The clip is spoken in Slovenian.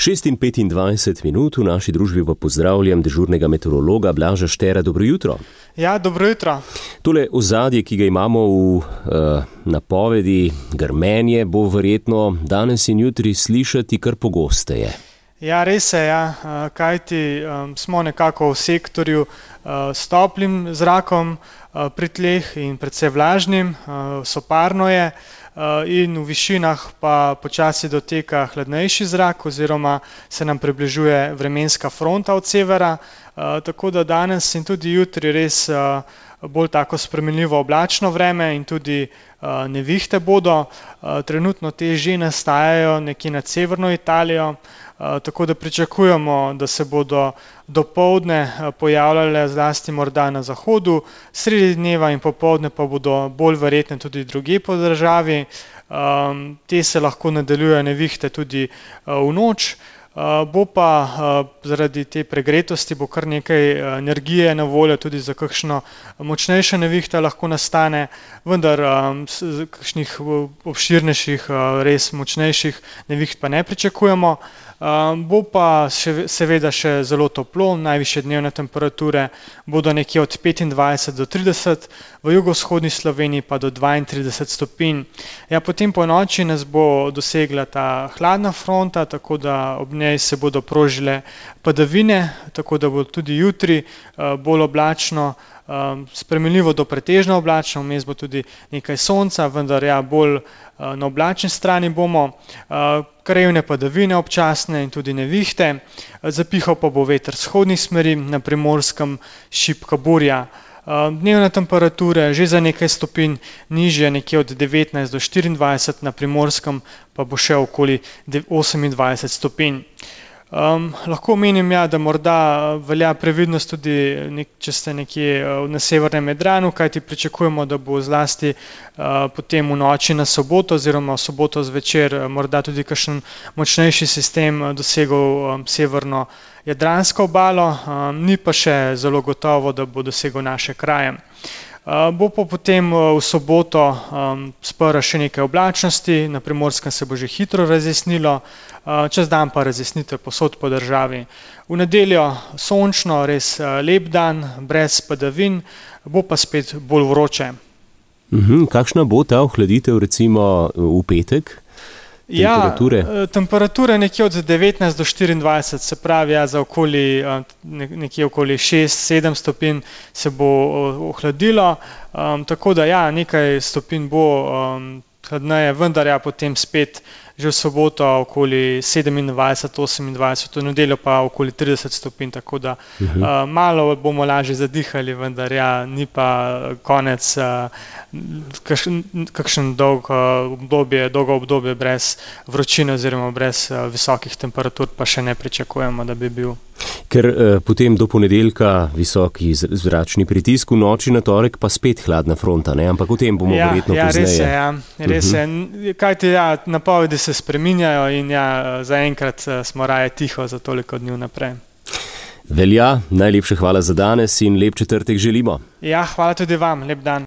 6:25 v naši družbi pa pozdravljam dežurnega meteorologa Blaža Štera. Dobro jutro. Ja, dobro jutro. Tole ozadje, ki ga imamo v napovedi, grmenje, bo verjetno danes in jutri slišati kar pogosteje. Ja, res je, kajti smo nekako v sektorju s toplim zrakom pri tleh in predvsej vlažnim, soparno je, in v višinah pa počasi doteka hladnejši zrak oziroma se nam približuje vremenska fronta od severa, tako da danes in tudi jutri res bolj tako spremenljivo oblačno vreme in tudi nevihte bodo. Trenutno te že nastajajo nekje nad severno Italijo, tako da pričakujemo, da se bodo dopoldne pojavljale zlasti morda na zahodu, sredi dneva in popoldne pa bodo bolj verjetne tudi drugje po državi. Te se lahko nadaljujejo nevihte tudi v noč. Bo pa zaradi te pregretosti bo kar nekaj energije na voljo tudi za kakšno močnejše nevihte lahko nastane, vendar kakšnih obširnejših, res močnejših neviht pa ne pričakujemo. Bo pa seveda še zelo toplo, najvišje dnevne temperature bodo nekje od 25 do 30, v jugovzhodni Sloveniji pa do 32 stopinj. Ja, potem po noči nas bo dosegla ta hladna fronta, tako da ob njej se bodo prožile padavine, tako da bo tudi jutri bolj oblačno, spremenljivo do pretežno oblačno, vmes bo tudi nekaj sonca, vendar bolj na oblačni strani bomo, krajevne padavine občasne in tudi nevihte, zapihal pa bo veter z vzhodnih smeri, na Primorskem šibka burja. Dnevne temperature že za nekaj stopinj nižje, nekje od 19 do 24, na Primorskem pa bo še okoli 28 stopinj. Lahko omenim, da morda velja previdnost tudi, če ste nekje na severnem Jadranu, kajti pričakujemo, da bo zlasti potem v noči na soboto oziroma v soboto zvečer morda tudi kakšen močnejši sistem dosegel severno jadransko obalo, ni pa še zelo gotovo, da bo dosegel naše kraje. Bo pa potem v soboto sprva še nekaj oblačnosti, na Primorskem se bo že hitro razjasnilo, čez dan pa razjasnitve povsod po državi. V nedeljo sončno, res lep dan, brez padavin, bo pa spet bolj vroče. Kakšna bo ta ohladitev recimo v petek? Temperature nekje od 19 do 24, se pravi za nekje okoli 6-7 stopinj se bo ohladilo, tako da nekaj stopinj bo hladneje, vendar potem spet že v soboto okoli 27-28, v nedeljo pa okoli 30 stopinj, tako da malo bomo lažje zadihali, vendar ni pa konec, kakšen dolgo obdobje brez vročine oziroma brez visokih temperatur pa še ne pričakujemo, da bi bil. Ker potem do ponedeljka visoki zračni pritisk, v noči na torek pa spet hladna fronta, ne? Ampak o tem bomo verjetno pozneje. Res je, kajti napovedi se spreminjajo in zaenkrat smo raje tiho za toliko dni naprej. Velja, najlepša hvala za danes in lep četrtek želimo. Hvala tudi vam, lep dan.